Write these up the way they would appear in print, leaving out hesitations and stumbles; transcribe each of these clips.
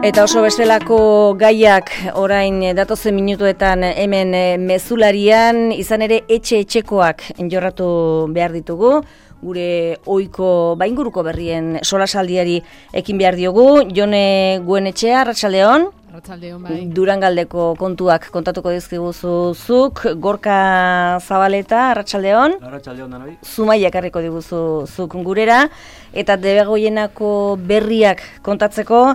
Eta oso bestelako gaiak orain datozen minutuetan hemen mezularian, izan ere etxekoak jorratu behar ditugu. Gure ohiko inguruko berrien solasaldiari ekin behar diogu. Jone Guenetxea, arratsaldeon. Arratsaldeon, bai. Durangaldeko kontuak kontatuko dizkiguzu zuk. Gorka Zabaleta, arratsaldeon. Arratsaldeon danoi. Zumaia ekarriko diguzu zuk gurera. Eta Debegoienako berriak kontatzeko,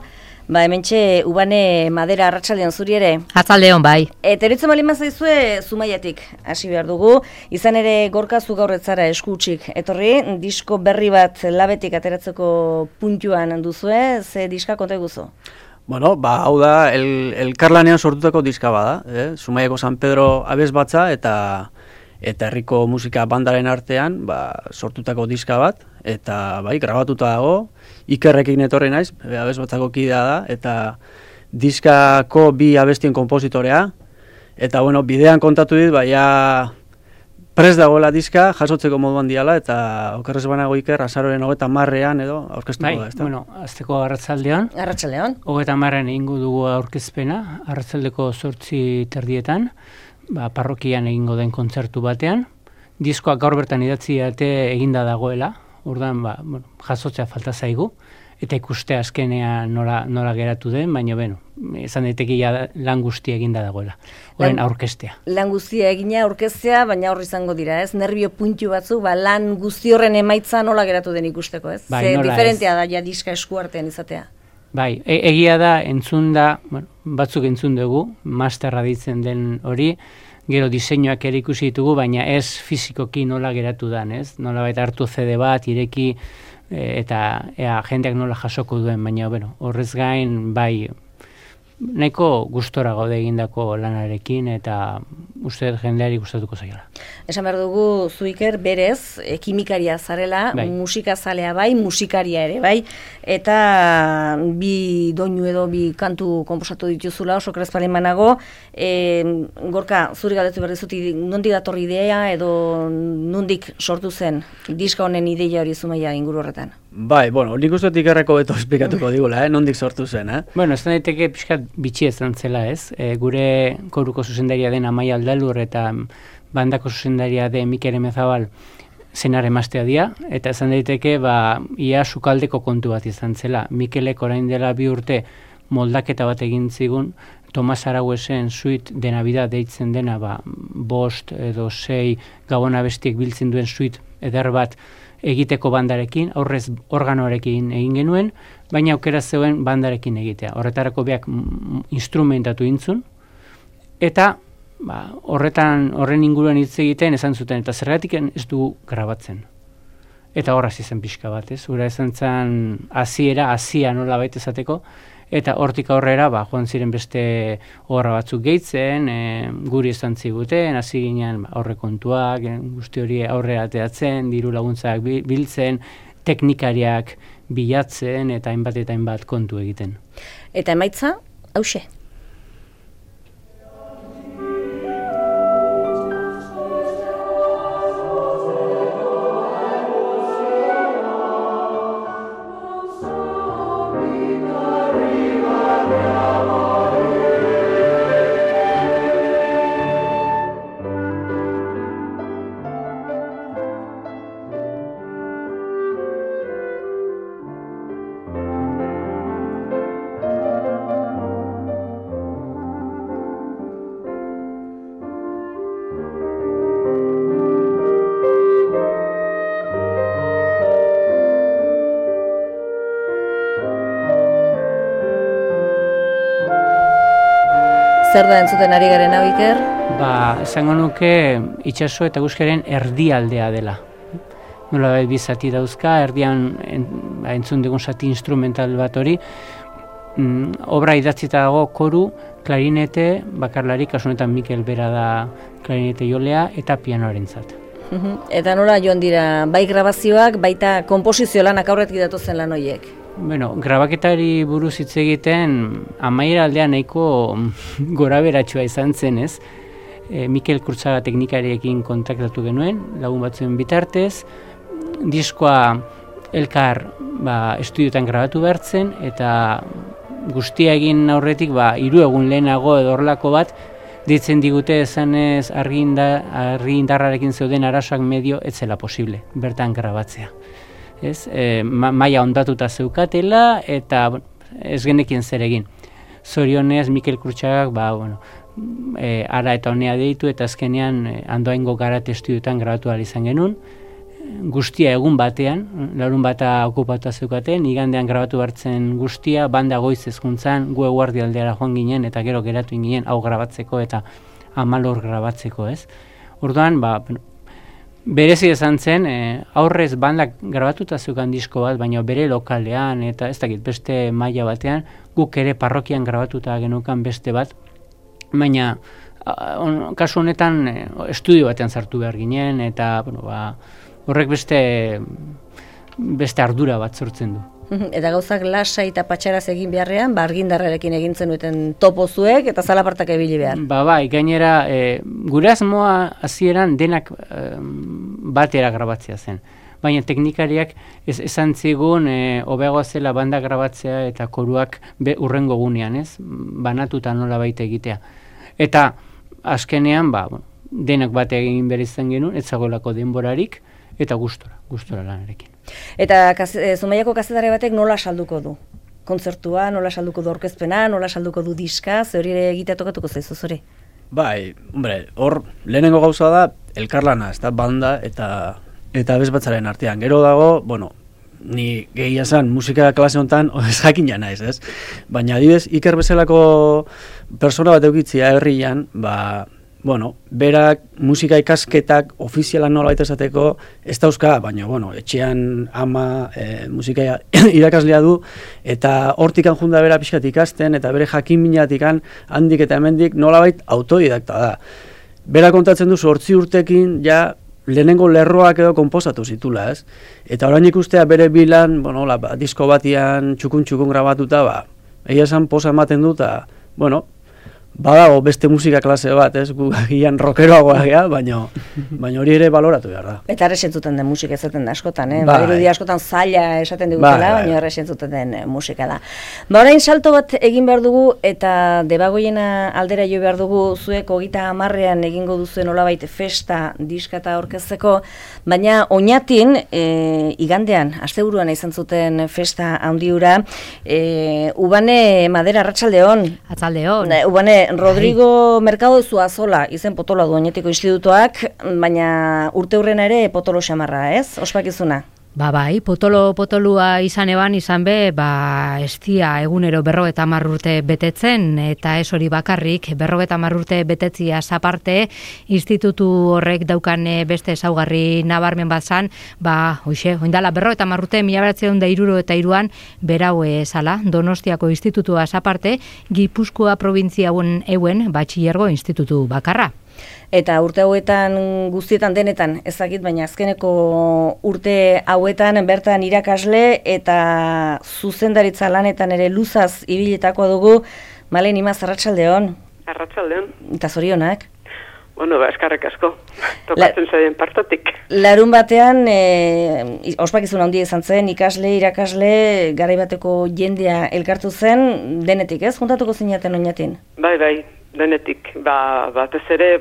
hementxe Ubane Madera, arratsaldeon zuri ere. Arratsaldeon, bai. Eta eritzen bali mazaizue Zumaiatik hasi behar dugu. Izan ere Gorka zu gaur ez zara eskutsik etorri, disko berri bat labetik ateratzeko puntuan duzue, ze diska konta eguzu? Bueno, hau da, elkarlanean sortutako diska bada, Zumaiako San Pedro abesbatza eta herriko musika bandaren artean sortutako diska bat, eta grabatuta dago, Ikerrekin etorri naiz, abesbatzako kidea da, eta diskako bi abestien konpositorea, eta bidean kontatu dit, prest dagoela diska, jasotzeko moduan diala, eta okerrez banago Iker, azaroren 30ean edo aurkeztuko da, ezta? Azteko arratsaldeon. Arratsaldeon. 30ean egingo dugu aurkezpena, arratsaldeko 8:30, parrokian egingo den kontzertu batean. Diskoak gaur bertan idatzi eginda dagoela, orduan jasotzea falta zaigu, eta ikustea azkenean nola geratu den, baina esan daiteke lan guztia eginda dagoela, horren aurkeztea. Lan guztia egina aurkeztea, baina hor izango dira, ez? Nerbio puntu batzu, lan guzti horren emaitza nola geratu den ikusteko, ez? Bai, nola diferentea da ja diska eskuartean izatea. Bai, egia da, entzun da, batzuk entzun dugu, masterra ditzen den hori, gero diseinuak ere ikusi ditugu, baina ez fizikoki nola geratu dan, ez? Nola baita hartu CD bat, ireki, eta jendeak nola jasoko duen, baina horrez gain, nahiko gustora gaude egindako lanarekin, eta uste jendeari gustatuko zaiola. Esan behar dugu, Zuiker, berez, kimikaria zarela, musikazalea musikaria ere, eta bi doinu edo bi kantu konposatu dituzula, oso krezpalen manago. Gorka, zuri galdetu behar dizuti, nondik datorri idea edo nondik sortu zen diska honen ideia hori Zumaia inguru horretan? Nik uste Ikerreko beto esplikatuko digula, nondik sortu zen, ez daiteke pixkat bitxi ezan zela, ez? Gure koruko zuzendaria den Amaia Aldalur eta bandako zuzendaria den Mikel Emezabal zenar emaztea dira, eta ezan daiteke ia sukaldeko kontu bat izan zela. Mikelek orain dela 2 urte moldaketa bat egin zigun, Tomas Arauesen Suite de Navidad deitzen dena, 5 edo 6 gabon abestiek biltzen duen suite eder bat egiteko bandarekin, aurrez organoarekin egin genuen, baina aukera zeuen bandarekin egitea. Horretarako beak instrumentatu intzun, eta horren inguruan hitz egiten esan zuten, eta zergatik ez dugu grabatzen. Eta horraz izan pixka bat, ez? Hura esan zen hasia nola baita esateko, eta hortik aurrera joan ziren beste obra batzuk gehitzen, guri esan ziguten, hasi ginen aurrekontuak, guzti hori aurrera ateratzen, diru laguntzak biltzen, teknikariak bilatzen, eta hainbat kontu egiten. Eta emaitza, hauxe? Zer da entzuten ari garen hau, Iker? Esango nuke itsaso eta eguzkiaren erdialdea dela. Nola bi zati dauzka, erdian entzun dugun zati instrumental bat hori, obra idatzita dago koru, klarinete, bakarlari, kasunetan Mikel bera da klarinete jolea, eta pianoarentzat. Eta nola joan dira, bai grabazioak, baita konposizio lanak aurretik datozen lan horiek? Grabaketari buruz hitz egiten amaiera aldean nahiko goraberatsua izan zen, ez? Mikel Kurtzaga teknikariekin kontaktatu genuen, lagun batzuen bitartez, diskoa elkar estudioetan grabatu behartzen, eta guztia egin aurretik, 3 egun lehenago edo horrelako bat, ditzen digute esanez argindarrarekin zeuden arazoak medio ez zela posible, bertan grabatzea. Ez? Maila ondatuta zeukatela eta ez genekin zer egin. Zorionez, Mikel Krutxagak, ara eta honea deitu eta azkenean Andoaingo Garate estudioetan grabatu ahal izan genuen. Guztia egun batean, larun bata okupatuta zeukaten, igandean grabatu hartzen guztia, banda goiz ezkuntzan, gu eguardi aldera joan ginen eta gero geratu ginen hau grabatzeko eta 14 grabatzeko, ez? Orduan, berezi izan zen, aurrez bandak grabatuta zeukan disko bat, baina bere lokalean eta ez dakit beste maila batean, guk ere parrokian grabatuta genukan beste bat, baina kasu honetan estudio batean sartu behar ginen eta horrek beste ardura bat sortzen du. Eta gauzak lasai eta patxaraz egin beharrean, argindarrarekin egin zenuten topozuek eta zalapartak ebili behar. Bai, gainera, gure asmoa hasieran denak batera grabatzea zen. Baina teknikariak esan zigun hobeagoa zela banda grabatzea eta koruak urrengo gunean, ez? Banatuta nola baita egitea. Eta azkenean, denak bate egin behar izan genuen, ez zagoelako denborarik, eta gustora lanarekin. Eta Zumaiako kazetari batek nola salduko du? Kontzertua, nola salduko du aurkezpena, nola salduko du diska, ze hori ere egitea tokatuko zaizu zure? Bai, hor lehenengo gauza da elkarlana, ez da banda eta abesbatzaren artean. Gero dago, ni gehia zen musika klase honetan ez jakina naiz, ez? Baina adibidez, Iker bezalako persona bat eukitzia herrian, berak musika ikasketak ofizialan nola baita esateko ez dauzka, baina, etxean ama musika irakaslea du, eta hortikan junda bera pixkat ikasten, eta bere jakin minatikan handik eta hemendik nolabait autodidakta da. Bera kontatzen du 8 urtekin ja lehenengo lerroak edo konposatu zitula, ez? Eta orain ikustea bere bilan, disko batian txukun grabatuta, egia esan posa ematen dut, badago beste musika klase bat, ez? Gu gian rockeroagoa gea, baina hori ere baloratu behar da. Eta erresentzuten den musika esaten da askotan, Badirudia askotan zaila esaten digutela, baina erresentzuten den musika da. Orain salto bat egin behar dugu eta Debagoiena aldera jo behar dugu, zuek 30ean egingo duzuen nolabait festa diskata aurkezteko, baina Oñatin igandean, asteburuan izan zuten festa handiura, Ubane Madera Arratsaldeon. Atzaldeon. Ubane Rodrigo Mercado Zuazola izen potoloa du Oñatiko institutuak, baina urteurrena ere potolo xamarra, ez? Ospakizuna. Bai, potolua izan be, estia egunero 50 urte betetzen, eta ez hori bakarrik, 50 urte betetzia aparte, institutu horrek daukan beste ezaugarri nabarmen bat zan, oindala 50 urte, 1963an, berau zala, Donostiako institutua aparte, Gipuzkoa provintzia euen batxilergo institutu bakarra. Eta urte hauetan guztietan denetan ezagit, baina azkeneko urte hauetan bertan irakasle eta zuzendaritza lanetan ere luzaz ibiletakoa dugu. Malen Imaz, arratsaldeon. Arratsaldeon. Eta zorionak. Eskarrek asko, tokatzen zaien partotik. Larun batean, ospakizun handia izan zen, ikasle, irakasle, garaibateko jendea elkartu zen, denetik ez, juntatuko zinaten Oñatin? Bai, denetik, batez ere,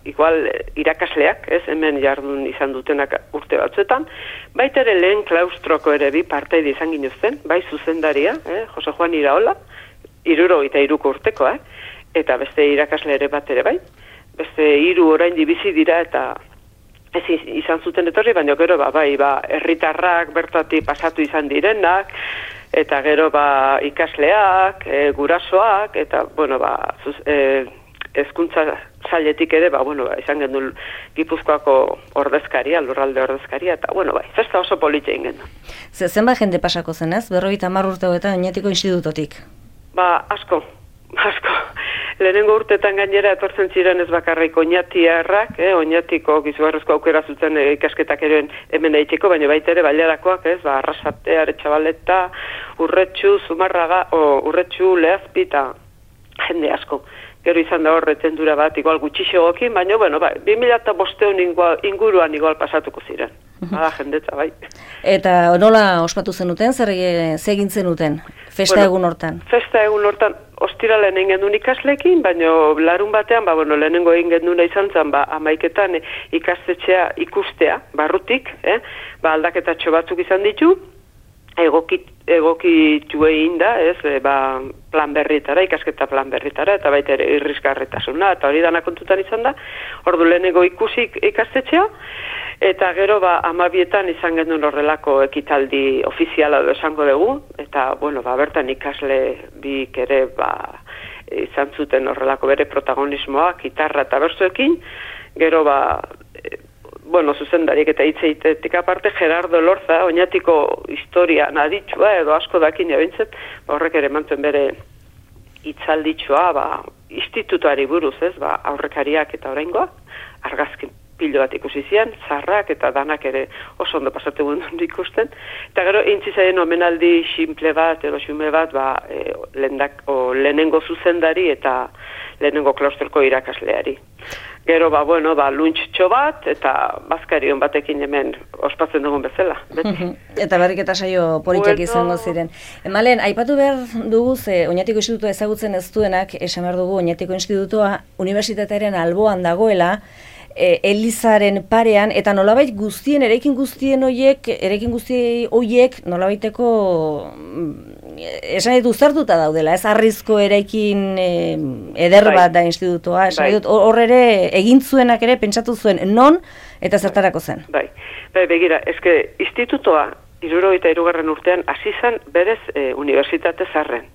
igual irakasleak, ez, hemen jardun izan dutenak urte batzuetan, baita ere lehen klaustroko ere bi parteide izan ginuzten, bai zuzendaria, Jose Juan Iraola, 73 urtekoa, eta beste irakasle ere bat ere bai, beste 3 orain bizi dira eta ez izan zuten etorri, baina gero herritarrak bertatik pasatu izan direnak, eta gero ikasleak, gurasoak, eta hezkuntza sailetik ere, izan genuen Gipuzkoako ordezkaria, lurralde ordezkaria, eta festa oso politxe egin genuen. Zenbat jende pasako zen ez, 50 urte hauetan Oñatiko institutotik? Asko. Lehenengo urtetan gainera etortzen ziren ez bakarrik Oñatiarrak, Oñatiko gizugarrezko aukera zuten ikasketak ere hemen egiteko, baina baita ere bailarakoak, Arrasate, Aretxabaleta, Urretxu, Zumarraga, Urretxu, Lehazpi eta jende asko. Gero izan da horretendura bat, igual gutxixegokin, baina, 2005 inguruan igual pasatuko ziren. Jendetza, bai. Eta nola ospatu zenuten, zer egin zenuten? Festa egun hortan. Festa egun hortan, ostiralean egin gendun ikaslekin, baina larun batean, lehenengo egin genduna izan zen, 11etan ikastetxea ikustea, barrutik, aldaketatxo batzuk izan ditu, egokitu egin da, plan berritara, ikasketa plan berritara, eta baita ere irrisgarretasuna, eta hori dana kontutan izan da, ordu lehenengo ikusik ikastetxea, eta gero 12etan izan genuen horrelako ekitaldi ofiziala esango dugu, eta bertan ikasle bik ere izan zuten horrelako bere protagonismoa, gitarra eta bertsoekin, gero zuzendariek eta hitzeitetik aparte, Gerardo Lorza, oinatiko historia naditxua, edo asko dakin ebintzet, horrek ere mantzuen bere hitzalditxua, institutuari buruz, aurrekariak eta oraingoa, argazkin pilo bat ikusi zian, zarrak eta danak ere oso ondo pasatu guen ikusten, eta gero intzizaien omenaldi simple bat, edo xume bat, lehenengo zuzendari eta lehenengo klaustroko irakasleari. Gero, luntxo bat, eta bazkarion batekin hemen ospatzen dugun bezala. Eta barriketa saio politak izango ziren. Malen, aipatu behar dugu, Oñatiko Institutua ezagutzen ez duenak, esan behar dugu, Oñatiko Institutua unibertsitatearen alboan dagoela, Elizaren parean, eta nolabait eraikin guztien horiek nolabaiteko esan ditu uztartuta daudela, ez arrizko eraikin eder bat da institutua, esan dut, hor ere egin zuenak ere pentsatu zuen non eta zertarako zen. Begira, eske institutoa 73. urtean hasi zen berez unibertsitate zarren.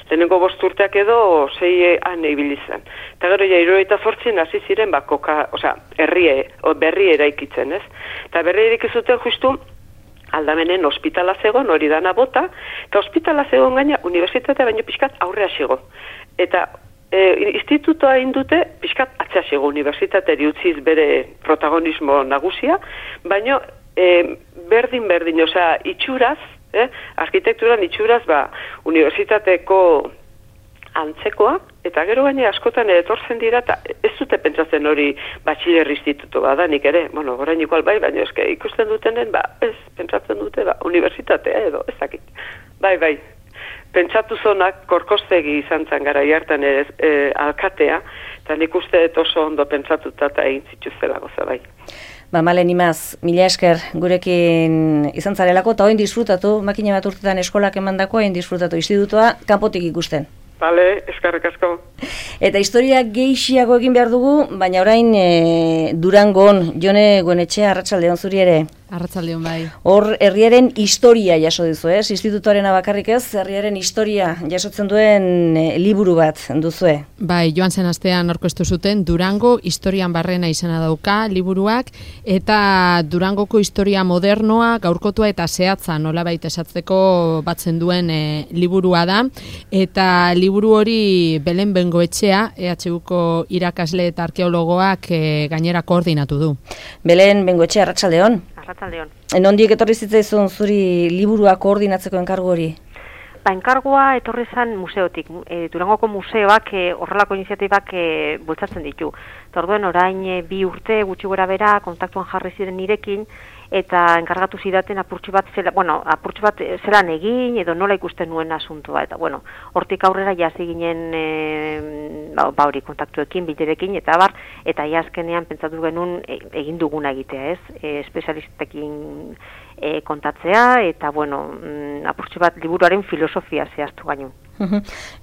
Lehenengo 5 urteak edo 6 ibili zen. Eta gero 78an hasi ziren berri eraikitzen, ez? Eta berri eraikizuten justu Aldamenen ospitala zegoen, hori dana bota, eta ospitala zegoen gaina unibertsitatea baino pixkat aurrea xego. Eta institutoa indute pixkat atzea xego, unibertsitateri utziz bere protagonismo nagusia, baino berdin, itxuraz, arkitekturan itxuraz, unibertsitateko antzekoa, eta gero gaine askotan etortzen dira, eta ez dute pentsatzen hori batxiler instituto badanik ere, orain igual baina eske ikusten dutenen, ez pentsatzen dute, unibertsitatea edo, ez dakit. Pentsatu zonak korkostegi izan zen gara hartan alkatea, eta nik uste oso ondo pentsatuta eta egin zituzela goza bai. Malen Imaz, mila esker gurekin izan zarelako, eta oin disfrutatu, makina bat urtetan eskolak emandako, oin disfrutatu institutua kanpotik ikusten. Bale, eskerrik asko. Eta historia gehiago egin behar dugu, baina orain Durangon, Jone Goenetxea, arratsaldeon zuri ere. Arratsaldeon bai. Hor herriaren historia jaso duzu, ez? Institutuarena bakarrik ez, herriaren historia jasotzen duen liburu bat duzue. Bai, joan zen astean aurkeztu zuten Durango historian barrena izena dauka liburuak, eta Durangoko historia modernoa, gaurkotua eta zehatza nolabait esatzeko batzen duen liburua da, eta liburu hori Belen Bengoetxea, EHUko irakasle eta arkeologoak gainera koordinatu du. Belen Bengoetxea, arratsaldeon. Arratsaldeon. Nondik etorri zitzaizun zuri liburua koordinatzeko enkargu hori? Enkargua etorri zen museotik. Durangoko museoak horrelako iniziatibak bultzatzen ditu. Orduen orain 2 urte gutxi gora bera kontaktuan jarri ziren nirekin, eta enkargatu zidaten apurtxo bat zelan egin edo nola ikusten nuen asuntoa, eta hortik aurrera jasi ginen hori kontaktuekin, bilerekin, eta azkenean pentsatu genuen egin duguna egitea, ez? Espezialistekin kontatzea, eta apurtxo bat liburuaren filosofia zehaztu gainu.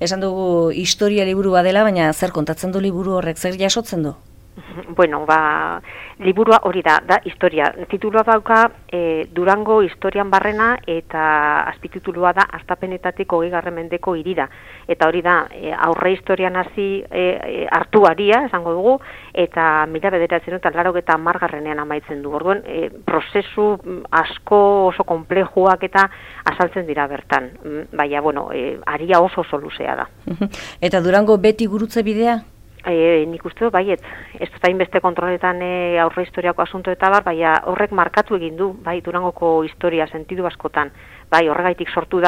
Esan dugu historia liburu badela, baina zer kontatzen du liburu horrek, zer jasotzen du? Liburua hori da historia. Titulua dauka Durango historian barrena, eta azpititulua da Hastapenetatik 20. mendeko hirira. Eta hori da aurre historian hasi hartuaria, esango dugu, eta 1980ean amaitzen du. Orduan, prozesu asko oso konplejuak eta azaltzen dira bertan. Baina, aria oso luzea da. Eta Durango beti gurutze bidea? Nik uste dut, baiet, ez dut hainbeste kontroletan aurre historiako asunto eta baina horrek markatu egin du, bai, Durangoko historia sentidu askotan, bai, horregaitik sortu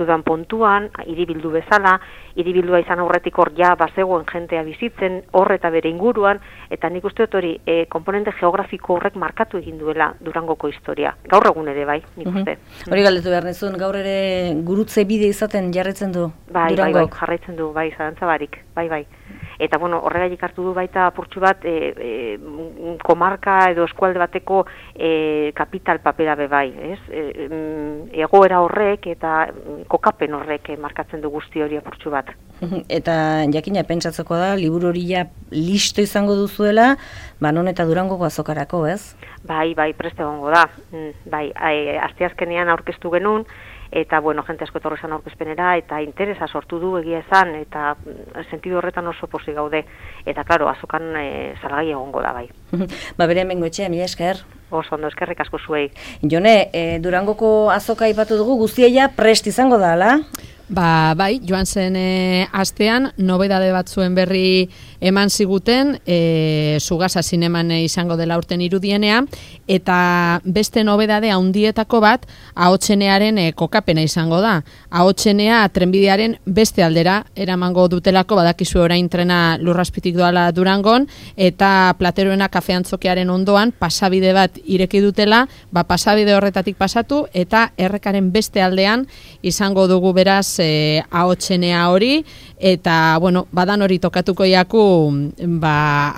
dan pontuan, hiribildu bezala, hiribildua izan aurretik hor ja bazegoen jentea bizitzen, hor eta bere inguruan, eta nik uste dut hori, komponente geografiko horrek markatu egin duela Durangoko historia. Gaur egun ere, bai, nik uste. Hori galdetu behar nizun, gaur ere gurutze bide izaten jarretzen du Durangok? Bai, jarraitzen du, bai, zalantzabarik, bai. Eta, bueno, horregatik hartu du baita apurtxu bat komarka edo eskualde bateko kapital papera be bai, ez? Egoera horrek eta kokapen horrek markatzen du guzti hori apurtxu bat. Eta jakina pentsatzeko da, liburu hori ja listo izango duzuela, non eta Durangoko azokarako, ez? Bai, preste egongo da. Bai, asteazkenean aurkeztu genuen, eta, bueno, jente asko etorri izan aurkezpenera, eta interesa sortu du egia esan, eta sentidu horretan oso pozik gaude. Eta, klaro, azokan salgai egongo da, bai. Bere hemengo etxea, mila esker. Oso ondo, eskerrik asko zuei. Jone, Durangoko azoka aipatu dugu, guztia prest izango da, ala? Bai, joan zen astean, nobedade batzuen berri eman ziguten, Sugasa zineman izango dela urten irudienea, eta beste nobedade handietako bat, Ahotsenearen kokapena izango da. Ahotsenea trenbidearen beste aldera eramango dutelako, badakizu orain trena Lurrazpitik doala Durangon, eta Plateroena kafeantzokiaren ondoan pasabide bat ireki dutela, pasabide horretatik pasatu, eta errekaren beste aldean izango dugu beraz Ahotsenea hori, eta, bueno, badan hori tokatuko jaku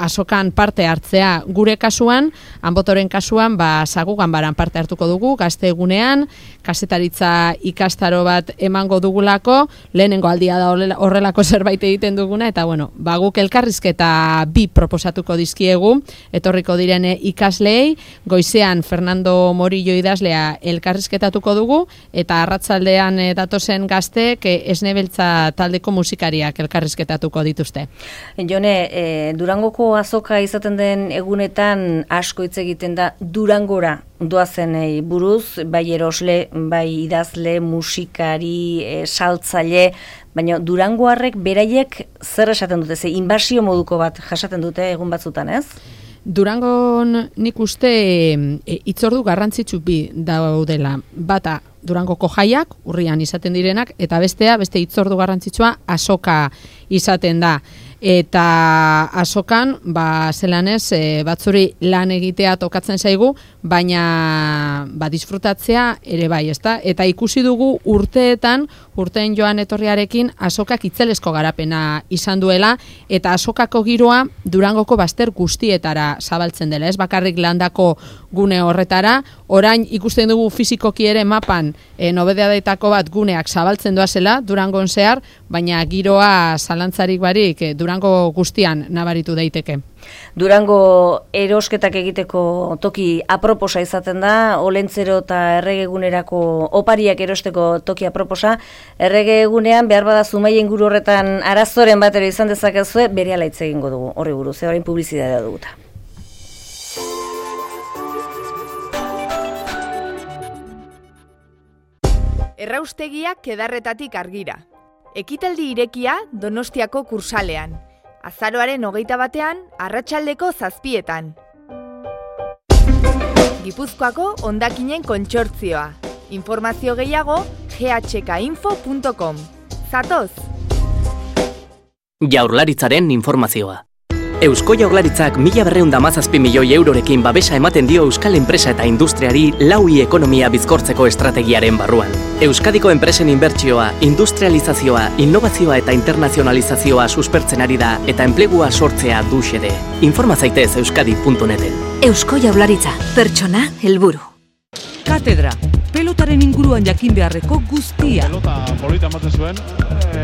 azokan parte hartzea gure kasuan, Anbotoren kasuan, Sagugan baran parte hartuko dugu, gazte egunean, kazetaritza ikastaro bat emango dugulako, lehenengo aldia da horrelako zerbait egiten duguna, eta, bueno, guk elkarrizketa 2 proposatuko dizkiegu, etorriko diren ikasleei, goizean Fernando Morillo idazlea elkarrizketatuko dugu, eta arratzaldean datozen gazte Esnebeltza taldeko musikariak elkarrizketatuko dituzte. Jone, Durangoko azoka izaten den egunetan asko hitz egiten da Durangora doazenei buruz, bai erosle, bai idazle, musikari, saltzaile, baina Durangoarrek beraiek zer esaten dute, inbasio moduko bat jasaten dute egun batzutan, ez? Durangon nik uste hitzordu garrantzitsu bi daudela. Bata Durangoko jaiak, urrian izaten direnak, eta beste hitzordu garrantzitsua azoka izaten da. Eta azokan, zelanez, batzuri lan egitea tokatzen zaigu, baina disfrutatzea ere bai, ezta? Eta ikusi dugu urteen joan etorriarekin azokak itzelesko garapena izan duela, eta azokako giroa Durangoko bazter guztietara zabaltzen dela, ez bakarrik landako gune horretara, orain ikusten dugu fizikoki ere mapan nobedeadetako bat guneak zabaltzen doazela Durangon zehar, baina giroa zalantzarik barik Durango guztian nabaritu daiteke. Durango erosketak egiteko toki aproposa izaten da, Olentzero eta erregegunerako opariak erosteko toki aproposa. Erregegunean behar bada Zumaia inguru horretan arazoren bat ere izan dezakezue, berehala hitz egingo dugu horri buruz, orain publizitatea duguta. Erraustegiak Edarretatik Argira. Ekitaldi irekia Donostiako Kursalean. Azaroaren 21ean, arratsaldeko 7:00. Gipuzkoako hondakinen kontsortzioa. Informazio gehiago ghkinfo.com. Zatoz! Jaurlaritzaren informazioa. Eusko Jaurlaritzak 1.217 milioi eurorekin babesa ematen dio euskal enpresa eta industriari laui ekonomia bizkortzeko estrategiaren barruan. Euskadiko enpresen inbertsioa, industrializazioa, innovazioa eta internazionalizazioa suspertzen ari da eta enplegua sortzea du xede. Informa zaitez euskadi.neten. Eusko Jaurlaritza, pertsona helburu. Katedra, pelotaren inguruan jakin beharreko guztia. Pelota polita ematen zuen.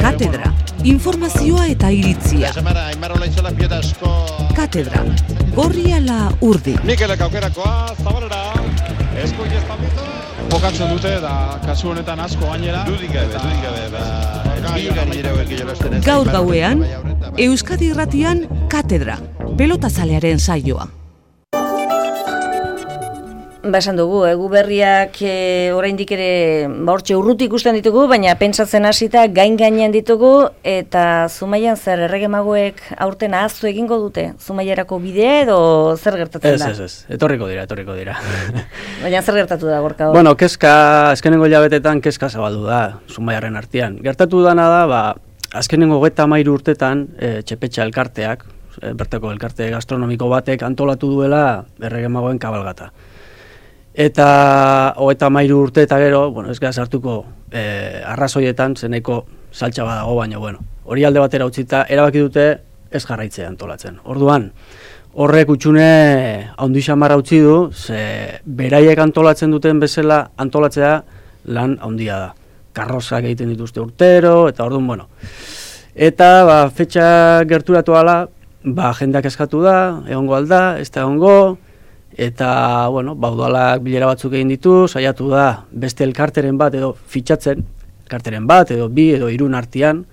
Katedra, informazioa eta iritzia. Katedra, gorri ala urdi. Mikelek aukerakoa, Zabalera, esku iestabitu. Bokatzen dute, da kasu honetan asko gainera. Dudik gabe. Gaur gauean, Euskadi Irratian Katedra, pelotazalearen saioa. esan dugu, egu berriak oraindik ere hortxe urruti ikusten ditugu, baina pentsatzen hasita gain-gainean ditugu, eta Zumaian zer erregemagoek aurten ahaztu egingo dute? Zumaiarako bidea edo zer gertatzen da? Ez, etorriko dira. Baina zer gertatu da gorka hor? Bueno, azkenengo hilabetetan kezka zabaldu da Zumaiarren artean. Gertatu dana da, azkenengo 33 urtetan Txepetxa elkarteak, bertako elkarte gastronomiko batek antolatu duela erregemagoen kabalgata. Eta 33 urte eta gero, ez gara sartuko arrazoietan zeneko saltxa badago, baina hori alde batera utzita erabaki dute ez jarraitzea antolatzen. Orduan, horrek utxune handi xamarra utzi du, ze beraiek antolatzen duten bezala antolatzea lan handia da. Karrozak egiten dituzte urtero, eta orduan, Eta, fetxa gerturatu ala, jendeak eskatu da, egongo alda, ez da egongo, eta, udalak bilera batzuk egin ditu, saiatu da beste elkarteren bat edo fitxatzen, elkarteren bat edo 2 edo 3 artean,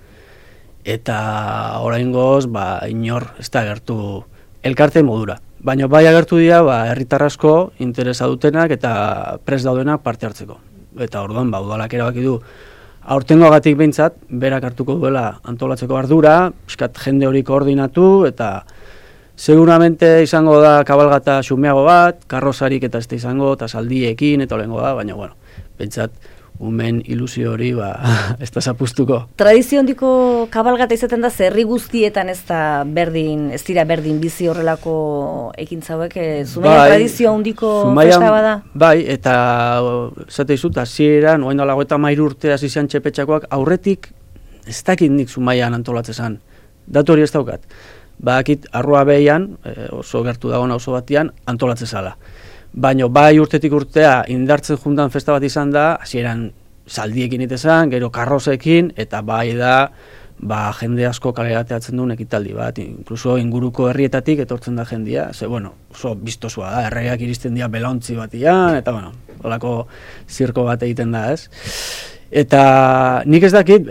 eta oraingoz, inor ez da agertu elkarte modura. Baina bai agertu dira, herritar asko interesa dutenak eta prest daudenak parte hartzeko. Eta orduan, udalak erabaki du, aurtengoagatik behintzat, berak hartuko duela antolatzeko ardura, piskat jende hori koordinatu, eta seguramente izango da kabalgata xumeago bat, karrozarik eta ez da izango, eta saldiekin, eta olengo da, baina, behintzat, umen ilusio hori, ez da zapustuko. Tradizio hondiko kabalgata izaten da, herri guztietan ez dira berdin bizi horrelako ekintza hauek, Zumaian tradizio hondiko festa bada? Bai, eta zate izut, hasieran, oain dolago eta 33 urte hasi zian Txepetxakoak, aurretik ez dakit nik Zumaian antolatzezan. Datu hori ez daukat. Bakit arrua behian, oso gertu dagoena oso batian, antolatzezala. Baina bai urtetik urtea indartzen juntan festa bat izan da, hasieran saldiekin itezan, gero karrozekin, eta bai da jende asko kalerateatzen duen ekitaldi bat, inkluso inguruko herrietatik etortzen da jendia, oso biztosua da, erregeak iristen dira belauntzi batian, eta holako zirko bat egiten da, ez? Eta nik ez dakit,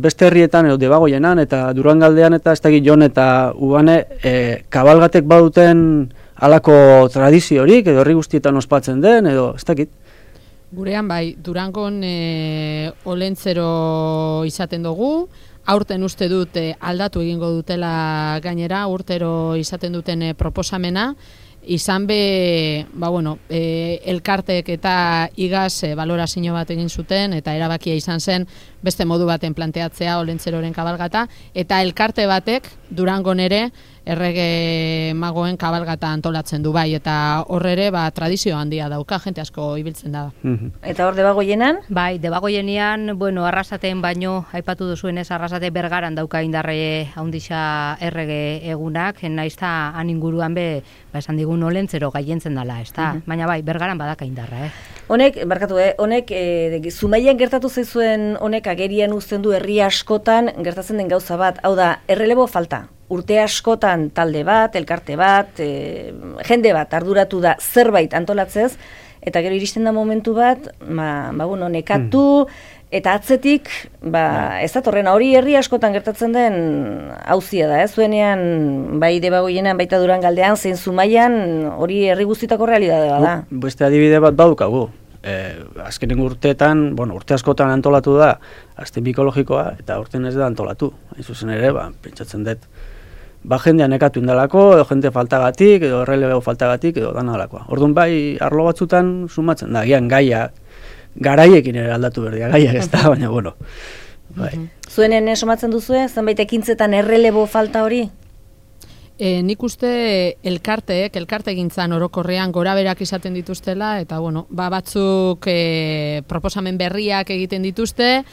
beste herrietan edo Debagoienan eta Durangaldean eta ez dakit Jon eta Ubane kabalgatek baduten halako tradiziorik edo herri guztietan ospatzen den edo ez dakit. Gurean bai, Durangon olentzero izaten dugu, aurten uste dut aldatu egingo dutela gainera, urtero izaten duten proposamena, izan be, elkartek eta igaz balorazio bat egin zuten, eta erabakia izan zen beste modu baten planteatzea olentzeroren kabalgata, eta elkarte batek Durangon ere errege magoen kabalgata antolatzen du bai, eta horre tradizio handia dauka, jente asko ibiltzen da. Eta hor Debagoienan? Bai, Debagoienean, Arrasaten baino, aipatu duzuenez, Arrasate Bergaran dauka indarre handixa errege egunak, naizta han inguruan esan digun olentzero gaientzen dela, ez da? Baina bai, Bergaran badaka indarra, Honek, Zumaian gertatu zaizuen honek agerian uzten du herri askotan gertatzen den gauza bat, hau da, errelebo falta. Urte askotan talde bat, elkarte bat, jende bat arduratu da zerbait antolatzez, eta gero iristen da momentu bat, nekatu, eta atzetik, ez datorrena, hori herri askotan gertatzen den auzia da, zuenean, bai Debagoienan, baita Durangaldean, zein Zumaian, hori herri guztitako realitatea da. Beste adibide bat badukagu. Azkenengo urteetan, urte askotan antolatu da, azten bikologikoa, eta urten ez da antolatu. Hain zuzen ere, pentsatzen dut, jendea nekatu indalako, edo jende faltagatik, edo errelebeo faltagatik, edo dana dalakoa. Orduan bai, arlo batzutan sumatzen da, gian garaiekin ere aldatu berdia, gaiak ez da, baina, bai. Zuenen somatzen duzue, zenbait ekintzetan errelebo falta hori? Nik uste elkarte gintzan orokorrean goraberak izaten dituztela, eta batzuk proposamen berriak egiten dituzte,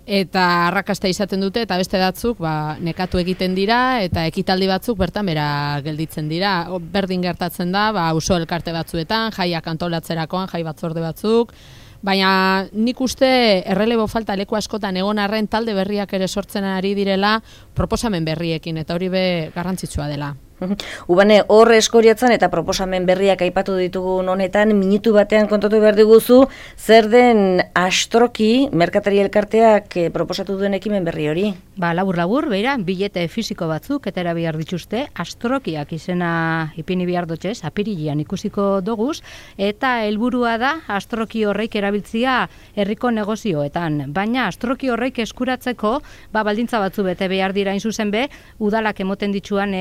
eta arrakasta izaten dute, eta beste batzuk nekatu egiten dira, eta ekitaldi batzuk bertan bera gelditzen dira. Berdin gertatzen da, auzo elkarte batzuetan, jaiak antolatzerakoan, jai batzorde batzuk, baina nik uste errelebo falta leku askotan egon arren talde berriak ere sortzen ari direla proposamen berriekin, eta hori garrantzitsua dela. Ubane, hor Eskoriatzan eta proposamen berriak aipatu ditugun honetan, minutu batean kontatu behar diguzu, zer den Astroki merkatari elkarteak proposatu duen ekimen berri hori? Labur, beira, bilete fisiko batzuk eta behar dituzte, Astrokiak izena ipini behar dutxez, apirilean ikusiko doguz, eta helburua da Astroki horreik erabiltzia herriko negozioetan. Baina Astroki horreik eskuratzeko, baldintza batzu bete behar dira zuzen be, udalak emoten dituan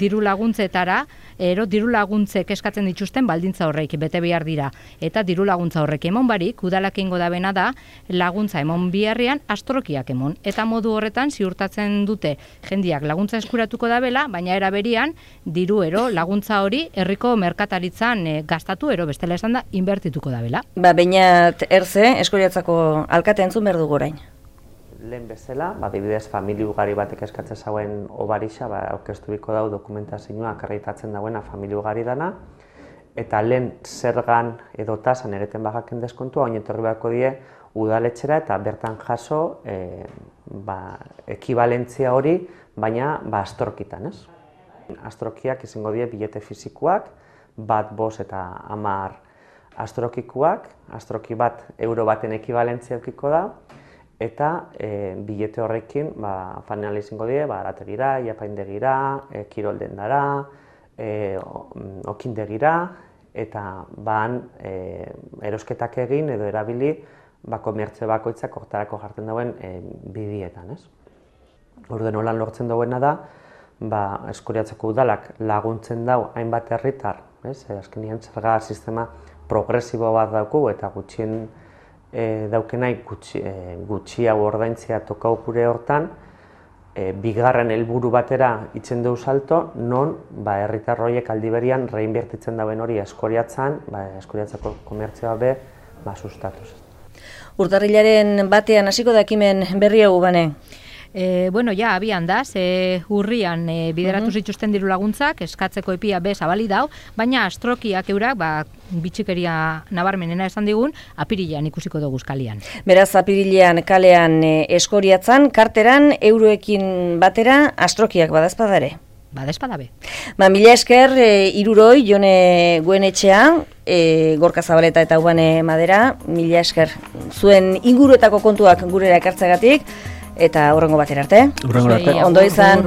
diru laguntzetara, diru laguntzek eskatzen dituzten baldintza horreik bete behar dira. Eta diru laguntza horrek emon barik, udalak ingo da bena da, laguntza emon biharrian Astrokiak emon. Eta modu horretan ziurtatzen dute jendiak laguntza eskuratuko da bela, baina eraberian diru laguntza hori herriko merkataritzan gastatu bestela esan da inbertituko da bela. Beinat Erze, Eskoriatzako alkate entzun behar dugu orain. Lehen bezala, adibidez familia ugari batek eskatzen zauen obarixa, aurkezturiko dau dokumentazioa akreditatzen dauena familia ugari dana, eta lehen zergan edo tasan ereten bagaken deskontua, oin etorri beharko die udaletxera eta bertan jaso ekibalentzia hori, baina Astrokitan, ez? Astrokiak izango die bilete fizikoak, bat, 5 eta 10 astrokikuak, astroki bat euro baten ekibalentzia eukiko da, eta bilete horrekin fanal izango die, arategira, iapaindegira, kiroldendara, okindegira, eta erosketak egin edo erabili komertzio bakoitzak hortarako jartzen dauen bidietan, ez? Orduan holan lortzen dauena da, Eskoriatzeko udalak laguntzen dau hainbat herritar, azkenean zerga sistema progresibo bat dauku eta gutxien daukenai gutxiago ordaintzea tokau gure hortan, bigarren helburu batera itzen du salto, non herritar horiek aldi berian reinbertitzen dauen hori Eskoriatzan, Eskoriatzako komertzioa sustatuz. Urtarrilaren batean hasiko da ekimen berri hau, Bane? Abian da, urrian bideratu zituzten diru laguntzak, eskatzeko epia zabali dau, baina Astrokiak eurak, bitxikeria nabarmenena esan digun, apirilean ikusiko dugu kalean. Beraz, apirilean kalean Eskoriatzan, karteran, euroekin batera, Astrokiak badazpadare? Badazpadabe. Mila esker, iruroi, Jone Goenetxea, Gorka Zabaleta eta Ubane Madera, mila esker. Zuen inguruetako kontuak gurera ekartzegatik, eta hurrengo batera arte. Hurrengo arte. Ondo izan.